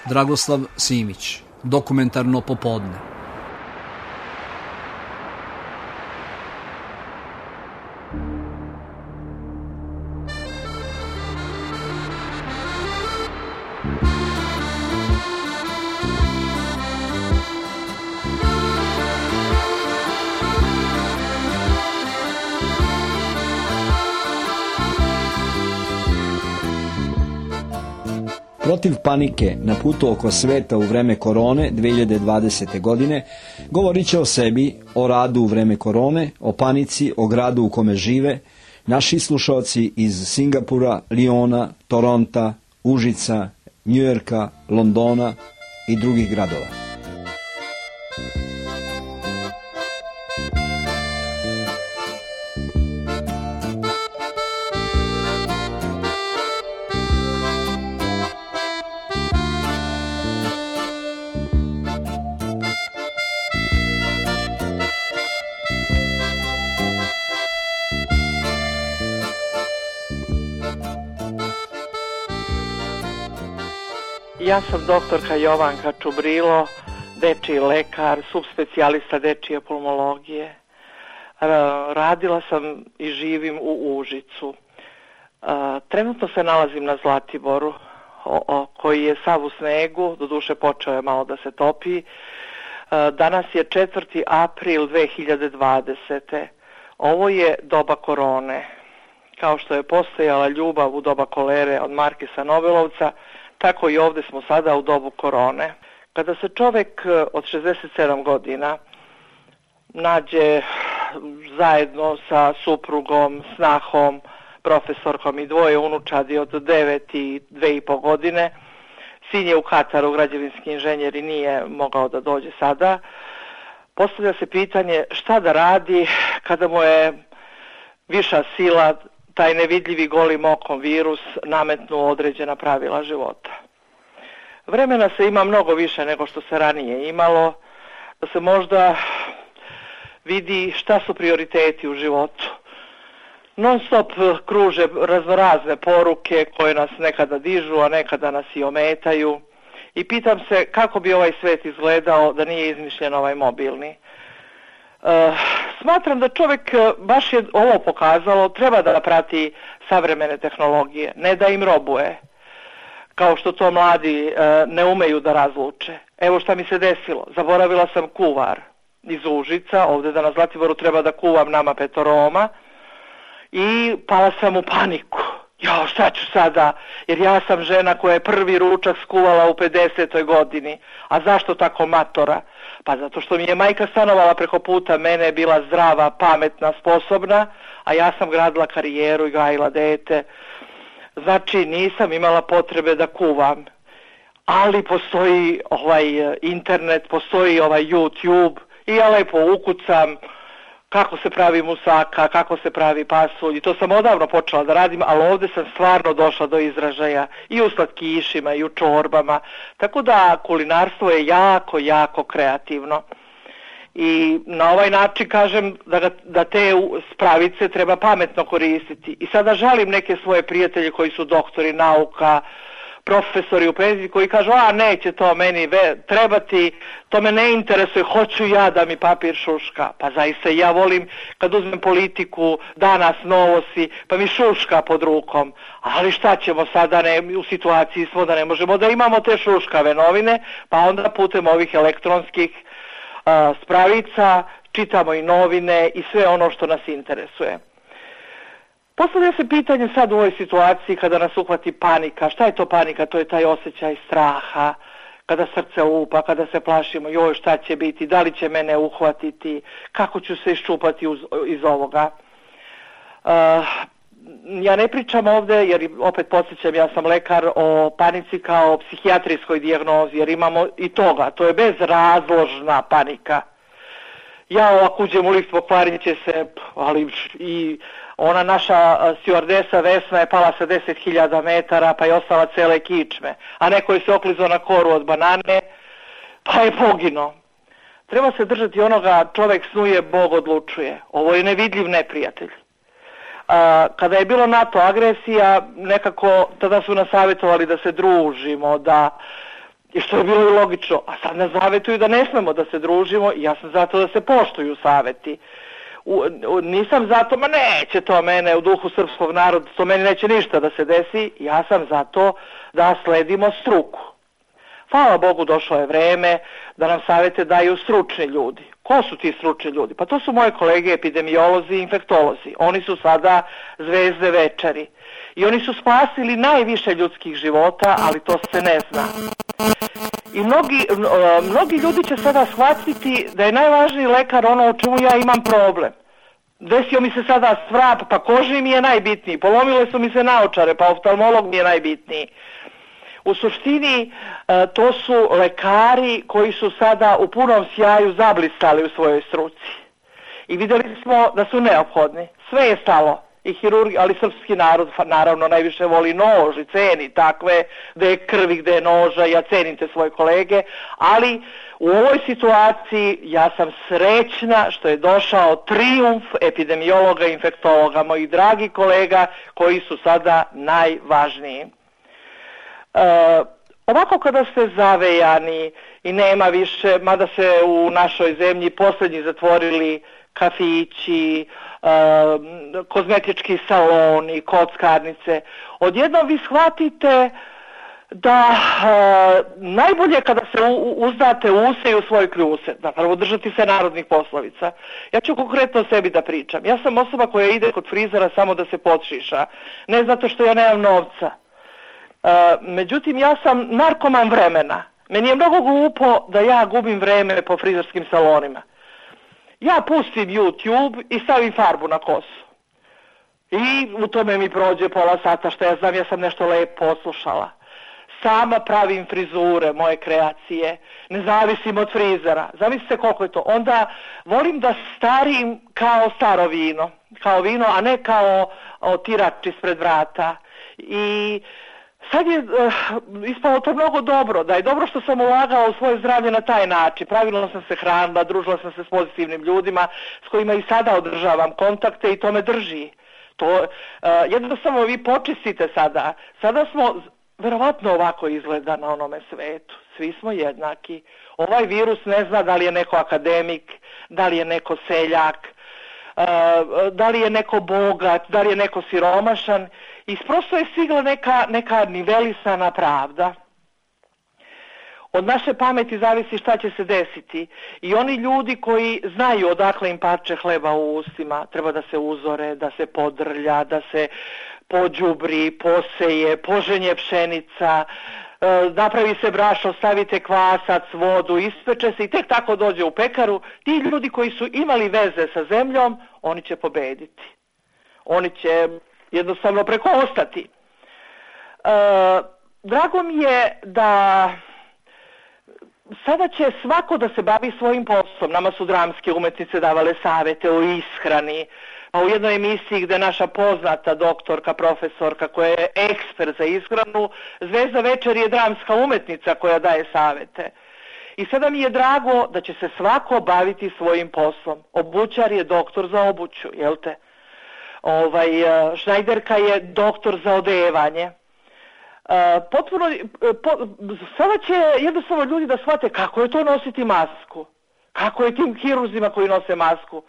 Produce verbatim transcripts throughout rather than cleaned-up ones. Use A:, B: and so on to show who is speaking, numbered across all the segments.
A: Dragoslav Simić, Dokumentarno popodne.
B: Protiv panike na putu oko sveta u vreme korone dve hiljade dvadesete. godine govorit će o sebi, o radu u vreme korone, o panici, o gradu u kome žive, naši slušalci iz Singapura, Liona, Toronta, Užica, Njujorka, Londona i drugih gradova.
C: Ja sam doktorka Jovanka Čubrilo, dečiji lekar, subspecijalista dečije pulmologije. Radila sam i živim u Užicu. Trenutno se nalazim na Zlatiboru, koji je sav u snegu, doduše počeo je malo da se topi. Danas je četvrti april dve hiljade dvadesete. Ovo je doba korone. Kao što je postojala ljubav u doba kolere od Markisa Nobelovca, tako i ovdje smo sada u dobu korone. Kada se čovjek od šezdeset sedam godina nađe zajedno sa suprugom, snahom, profesorkom i dvoje unučadi od devet i dve i po godine, sin je u Kataru, građevinski inženjer i nije mogao da dođe sada, postavlja se pitanje šta da radi kada mu je viša sila, taj nevidljivi golim okom virus nametnuo određena pravila života. Vremena se ima mnogo više nego što se ranije imalo, da se možda vidi šta su prioriteti u životu. Non stop kruže raznorazne poruke koje nas nekada dižu, a nekada nas i ometaju. I pitam se kako bi ovaj svet izgledao da nije izmišljen ovaj mobilni. Uh, smatram da čovjek, baš je ovo pokazalo, treba da prati savremene tehnologije, ne da im robuje, kao što to mladi uh, ne umeju da razluče. Evo šta mi se desilo, zaboravila sam kuvar iz Užica, ovdje da na Zlatiboru treba da kuvam nama petoroma i pala sam u paniku. Jo, šta ću sada, jer ja sam žena koja je prvi ručak skuvala u pedesetoj godini, a zašto tako matora? Pa zato što mi je majka stanovala preko puta mene, bila zdrava, pametna, sposobna, a ja sam gradila karijeru i gajila dete. Znači nisam imala potrebe da kuvam. Ali postoji ovaj internet, postoji ovaj YouTube i ja lepo ukucam kako se pravi musaka, kako se pravi pasulj. I to sam odavno počela da radim, ali ovdje sam stvarno došla do izražaja i u slatkišima i u čorbama. Tako da kulinarstvo je jako, jako kreativno. I na ovaj način kažem da, ga, da te spravice treba pametno koristiti. I sada žalim neke svoje prijatelje koji su doktori nauka, profesori u penziji koji kažu, a neće to meni ve, trebati, to me ne interesuje, hoću ja da mi papir šuška. Pa zaista ja volim kad uzmem politiku, danas novosti, pa mi šuška pod rukom. Ali šta ćemo sada, ne, u situaciji smo da ne možemo da imamo te šuškave novine, pa onda putem ovih elektronskih a, spravica čitamo i novine i sve ono što nas interesuje. Postavlja se pitanje sad u ovoj situaciji kada nas uhvati panika. Šta je to panika? To je taj osjećaj straha, kada srce lupa, kada se plašimo, joj šta će biti, da li će mene uhvatiti, kako ću se iščupati uz, iz ovoga. Uh, ja ne pričam ovdje, jer opet podsjećam, ja sam lekar, o panici kao psihijatrijskoj dijagnozi, jer imamo i toga, to je bezrazložna panika. Ja ovako uđem u lift, pokvarit će se, ali i ona naša stjuardesa Vesna je pala sa deset hiljada metara, pa je ostala cele kičme, a neko je se oklizao na koru od banane, pa je poginuo. Treba se držati onoga, čovjek snuje, Bog odlučuje. Ovo je nevidljiv neprijatelj. A, kada je bilo NATO agresija, nekako tada su nas savjetovali da se družimo, da I što je bilo i logično. A sad nas zavetuju da ne smemo da se družimo i ja sam zato da se poštuju saveti. U, u, nisam zato, ma neće to mene u duhu srpskog naroda, to meni neće ništa da se desi. Ja sam zato da sledimo struku. Hvala Bogu, došlo je vreme da nam savete daju stručni ljudi. Ko su ti stručni ljudi? Pa to su moje kolege epidemiolozi i infektolozi. Oni su sada zvezde večeri. I oni su spasili najviše ljudskih života, ali to se ne zna. I mnogi, mnogi ljudi će sada shvatiti da je najvažniji lekar ono o čemu ja imam problem. Desio mi se sada svrap, pa kožni mi je najbitniji. Polomile su mi se naočare, pa oftalmolog mi je najbitniji. U suštini to su lekari koji su sada u punom sjaju zablistali u svojoj struci. I vidjeli smo da su neophodni. Sve je stalo. I hirurgi, ali srpski narod naravno najviše voli nož i ceni takve, gde je krvi, gde je noža, ja cenim te svoje kolege, ali u ovoj situaciji ja sam srećna što je došao trijumf epidemiologa i infektologa, mojih dragi kolega koji su sada najvažniji. E, ovako kada ste zavejani i nema više, mada se u našoj zemlji posljednji zatvorili kafići, e, kozmetički saloni, kockarnice, odjednom vi shvatite da e, najbolje kada se u, uzdate u use i u svoj kljuse, da prvo držati se narodnih poslovica. Ja ću konkretno o sebi da pričam. Ja sam osoba koja ide kod frizera samo da se podšiša, ne zato što ja nemam novca. E, međutim, ja sam narkoman vremena. Meni je mnogo glupo da ja gubim vreme po frizerskim salonima. Ja pustim YouTube i stavim farbu na kosu. I u tome mi prođe pola sata, što ja znam, ja sam nešto lepo poslušala. Sama pravim frizure, moje kreacije, ne zavisim od frizera. Zamislite koliko je to. Onda volim da starim kao staro vino, kao vino, a ne kao otirač ispred vrata. I sad je uh, ispalo to mnogo dobro, da je dobro što sam ulagala u svoje zdravlje na taj način. Pravilno sam se hranila, družila sam se s pozitivnim ljudima s kojima i sada održavam kontakte i to me drži. To, uh, jednostavno vi počistite sada. Sada smo, verovatno ovako izgleda na onome svetu. Svi smo jednaki. Ovaj virus ne zna da li je neko akademik, da li je neko seljak, uh, da li je neko bogat, da li je neko siromašan. I prosto je stigla neka, neka nivelisana pravda. Od naše pameti zavisi šta će se desiti. I oni ljudi koji znaju odakle im parče hleba u ustima, treba da se uzore, da se podrlja, da se pođubri, poseje, poženje pšenica, napravi se brašno, stavite kvasac, vodu, ispeče se i tek tako dođe u pekaru. Ti ljudi koji su imali veze sa zemljom, oni će pobediti. Oni će jednostavno prekoostati. E, drago mi je da sada će svako da se bavi svojim poslom. Nama su dramske umetnice davale savete o ishrani. A u jednoj emisiji gde naša poznata doktorka, profesorka koja je ekspert za ishranu, Zvezda večer je dramska umetnica koja daje savete. I sada mi je drago da će se svako baviti svojim poslom. Obućar je doktor za obuću, jel te? Ovaj, šnajderka je doktor za odevanje. Potpuno, po, sada će jednostavno ljudi da shvate kako je to nositi masku. Kako je tim hirurzima koji nose masku.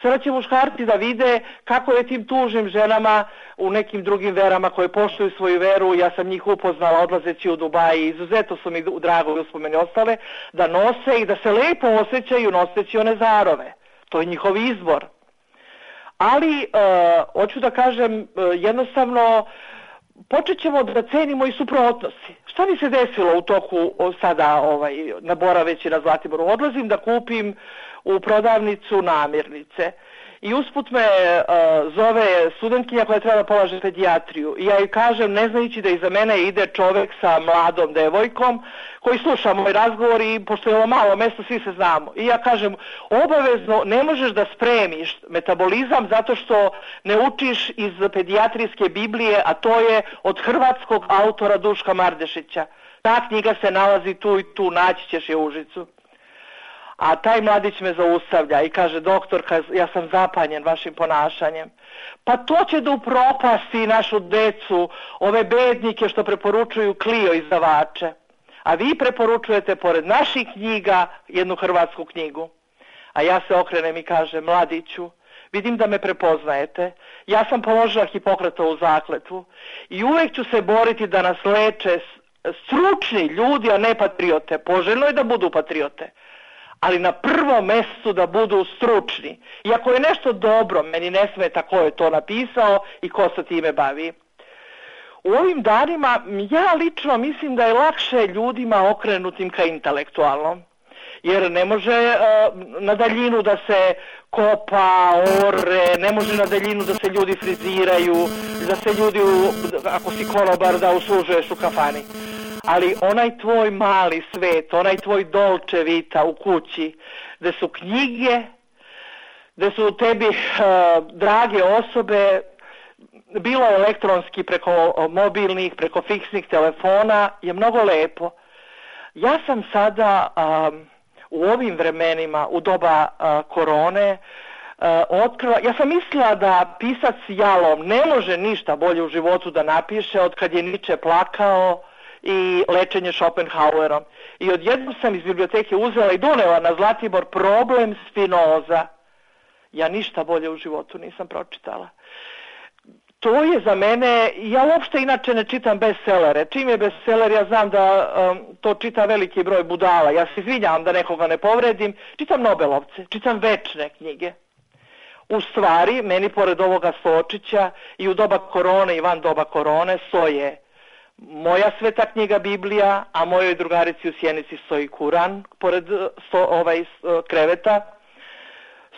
C: Sada će muškarci da vide kako je tim tužnim ženama u nekim drugim verama koje poštuju svoju veru. Ja sam njih upoznala odlazeći u Dubaji. Izuzetno su mi drago i uspomeni ostale da nose i da se lepo osjećaju noseći one zarove. To je njihov izbor. Ali, uh, hoću da kažem, uh, jednostavno, počet ćemo da cenimo i suprotnosti. Šta mi se desilo u toku sada ovaj, na Boraveći na Zlatiboru? Odlazim da kupim u prodavnicu namirnice i usput me uh, zove studentkinja koja treba da polaže pedijatriju i ja joj kažem, ne znajući da iza mene ide čovek sa mladom devojkom koji sluša moj razgovor i pošto je ovo malo mesto, svi se znamo. I ja kažem, obavezno ne možeš da spremiš metabolizam zato što ne učiš iz pedijatrijske Biblije, a to je od hrvatskog autora Duška Mardešića. Ta knjiga se nalazi tu i tu, naći ćeš je u Užicu. A taj mladić me zaustavlja i kaže, doktorka, ja sam zapanjen vašim ponašanjem. Pa to će da upropasti našu decu, ove bednike što preporučuju Klio izdavače. A vi preporučujete pored naših knjiga jednu hrvatsku knjigu. A ja se okrenem i kažem, mladiću, vidim da me prepoznajete. Ja sam položila Hipokratovu zakletvu i uvijek ću se boriti da nas leče stručni ljudi, a ne patriote. Poželjno je da budu patriote, ali na prvom mjestu da budu stručni. I ako je nešto dobro, meni ne smeta ko je to napisao i ko se time bavi. U ovim danima ja lično mislim da je lakše ljudima okrenutim ka intelektualnom. Jer ne može uh, na daljinu da se kopa, ore, ne može na daljinu da se ljudi friziraju, da se ljudi, u, ako si konobar, da uslužuješ u kafani. Ali onaj tvoj mali svet, onaj tvoj dolce vita u kući, gde su knjige, gde su tebi uh, drage osobe, bilo elektronski preko mobilnih, preko fiksnih telefona, je mnogo lepo. Ja sam sada um, u ovim vremenima, u doba uh, korone, uh, otkrila, ja sam mislila da pisac Jalom ne može ništa bolje u životu da napiše od kad je Nietzsche plakao i Lečenje Schopenhauerom. I odjednom sam iz biblioteke uzela i donela na Zlatibor Problem Spinoza. Ja ništa bolje u životu nisam pročitala. To je za mene, ja uopšte inače ne čitam bestsellere. Čim je bestseller, ja znam da um, to čita veliki broj budala. Ja se izvinjavam da nekoga ne povredim. Čitam Nobelovce, čitam večne knjige. U stvari, meni pored ovoga Sočića i u doba korone i van doba korone stoje moja sveta knjiga Biblija, a mojoj drugarici u Sjenici stoji Kuran pored sto, ovaj, kreveta.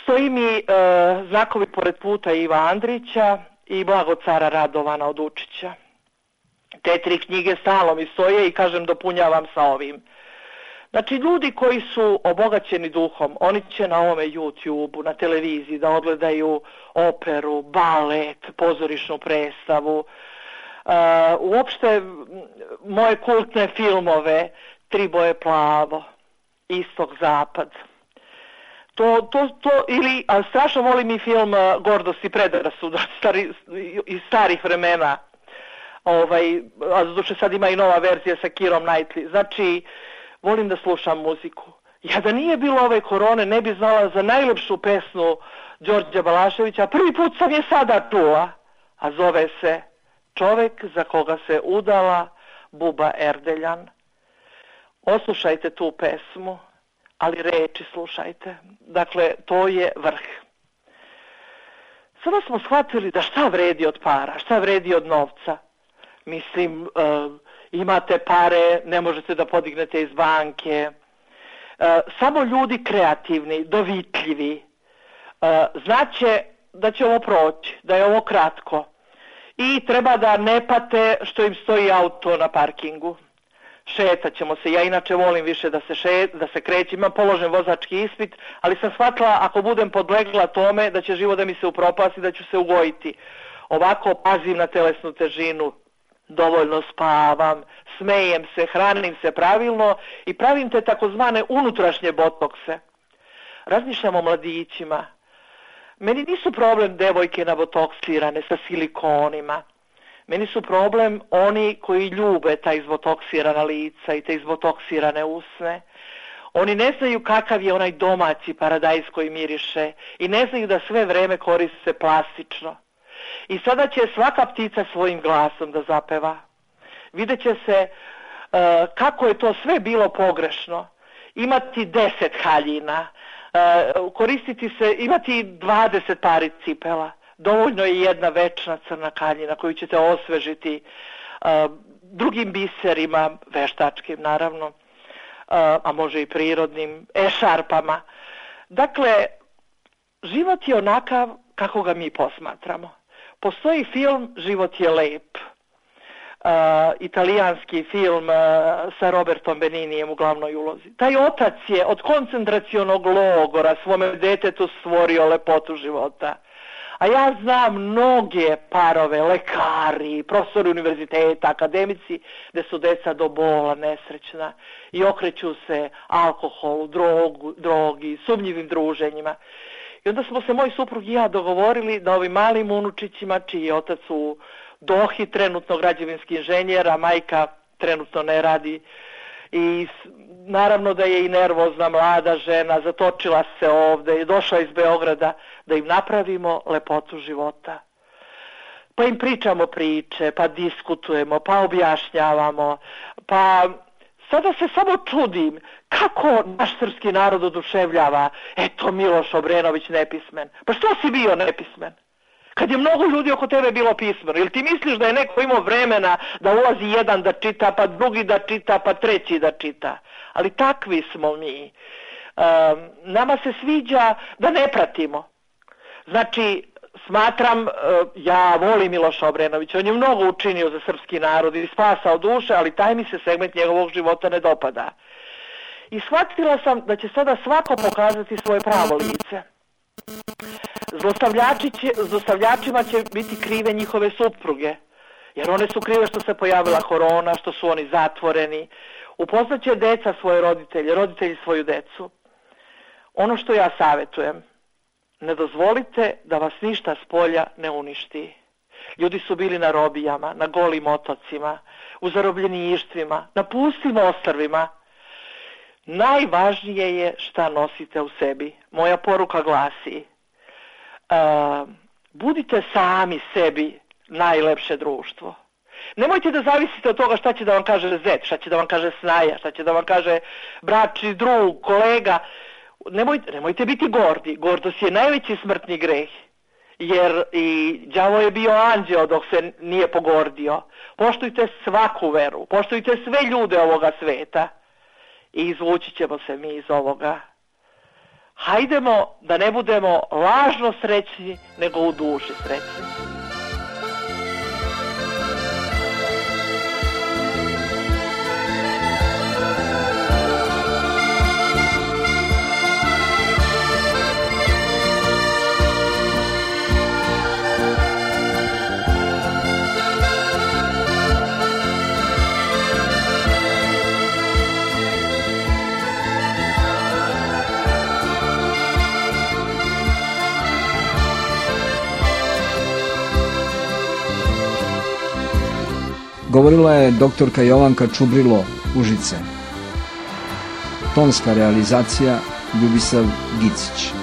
C: Stoji mi uh, znakovi pored puta Iva Andrića i Blago cara Radovana od Učića. Te tri knjige stalno mi stoje i kažem dopunjavam sa ovim. Znači ljudi koji su obogaćeni duhom, oni će na ovome YouTube-u, na televiziji da odgledaju operu, balet, pozorišnu predstavu, uh, uopšte moje kultne filmove, Tri boje plavo, Istok zapad. To, to, to, ili, a strašno volim i film uh, Gordost i predrasuda stari, iz starih vremena. Ovaj, a zaduše sad ima i nova verzija sa Kirom Knightley. Znači, volim da slušam muziku. Ja da nije bilo ove korone ne bi znala za najlepšu pesmu Đorđa Balaševića. Prvi put sam je sada čula, a zove se Čovek za koga se udala Buba Erdeljan. Oslušajte tu pesmu, ali reči slušajte. Dakle, to je vrh. Sada smo shvatili da šta vredi od para, šta vredi od novca. Mislim, uh, imate pare, ne možete da podignete iz banke. Uh, samo ljudi kreativni, dovitljivi, uh, znaće da će ovo proći, da je ovo kratko. I treba da ne pate što im stoji auto na parkingu. Šetat ćemo se, ja inače volim više da se, šet, da se krećem, imam položen vozački ispit, ali sam shvatila ako budem podlegla tome da će život da mi se upropasti, da ću se ugojiti. Ovako pazim na telesnu težinu, dovoljno spavam, smejem se, hranim se pravilno i pravim te takozvane unutrašnje botokse. Razmišljam o mladićima. Meni nisu problem devojke nabotoksirane sa silikonima. Meni su problem oni koji ljube ta izbotoksirana lica i te izbotoksirane usne. Oni ne znaju kakav je onaj domaći paradajz koji miriše i ne znaju da sve vreme koriste plastično. I sada će svaka ptica svojim glasom da zapeva. Vidjet će se uh, kako je to sve bilo pogrešno. Imati deset haljina, uh, koristiti se, imati dvadeset pari cipela. Dovoljno je jedna večna crna kaljina koju ćete osvežiti uh, drugim biserima, veštačkim naravno, uh, a može i prirodnim, ešarpama. Dakle, život je onakav kako ga mi posmatramo. Postoji film Život je lep, uh, italijanski film uh, sa Robertom Beninijem u glavnoj ulozi. Taj otac je od koncentracionog logora svome detetu stvorio lepotu života. A ja znam mnoge parove, lekari, profesori univerziteta, akademici, gde su deca do bola nesrećna i okreću se alkoholu, drogu, drogi, sumnjivim druženjima. I onda smo se moj suprug i ja dogovorili da ovim malim unučićima, čiji je otac u Dohi, trenutno građevinski inženjer, a majka trenutno ne radi i naravno da je i nervozna mlada žena, zatočila se ovde i došla iz Beograda, da im napravimo lepotu života. Pa im pričamo priče, pa diskutujemo, pa objašnjavamo, pa sada se samo čudim kako naš srpski narod oduševljava, eto Miloš Obrenović nepismen. Pa što si bio nepismen? Kad je mnogo ljudi oko tebe bilo pismeno, ili ti misliš da je neko imao vremena da ulazi jedan da čita, pa drugi da čita, pa treći da čita? Ali takvi smo mi. Um, nama se sviđa da ne pratimo. Znači, smatram, ja volim Miloša Obrenovića, on je mnogo učinio za srpski narod i spasao duše, ali taj mi se segment njegovog života ne dopada. I shvatila sam da će sada svako pokazati svoje pravo lice. Zlostavljači će, zlostavljačima će biti krive njihove supruge, jer one su krive što se pojavila korona, što su oni zatvoreni. Upoznaće deca svoje roditelje, roditelji svoju decu. Ono što ja savjetujem, ne dozvolite da vas ništa s polja ne uništi. Ljudi su bili na robijama, na golim otocima, u zarobljeništvima, na pustim ostrvima. Najvažnije je šta nosite u sebi. Moja poruka glasi, uh, budite sami sebi najlepše društvo. Nemojte da zavisite od toga šta će da vam kaže zet, šta će da vam kaže snaja, šta će da vam kaže bračni drug, kolega. Nemojte, nemojte biti gordi. Gordost je najveći smrtni greh. Jer i đavo je bio anđeo dok se nije pogordio. Poštujte svaku veru, poštujte sve ljude ovoga sveta i izvući ćemo se mi iz ovoga. Hajdemo da ne budemo lažno srećni, nego u duši srećni.
B: Govorila je doktorka Jovanka Čubrilo, Užice. Tonska realizacija Ljubisav Gicić.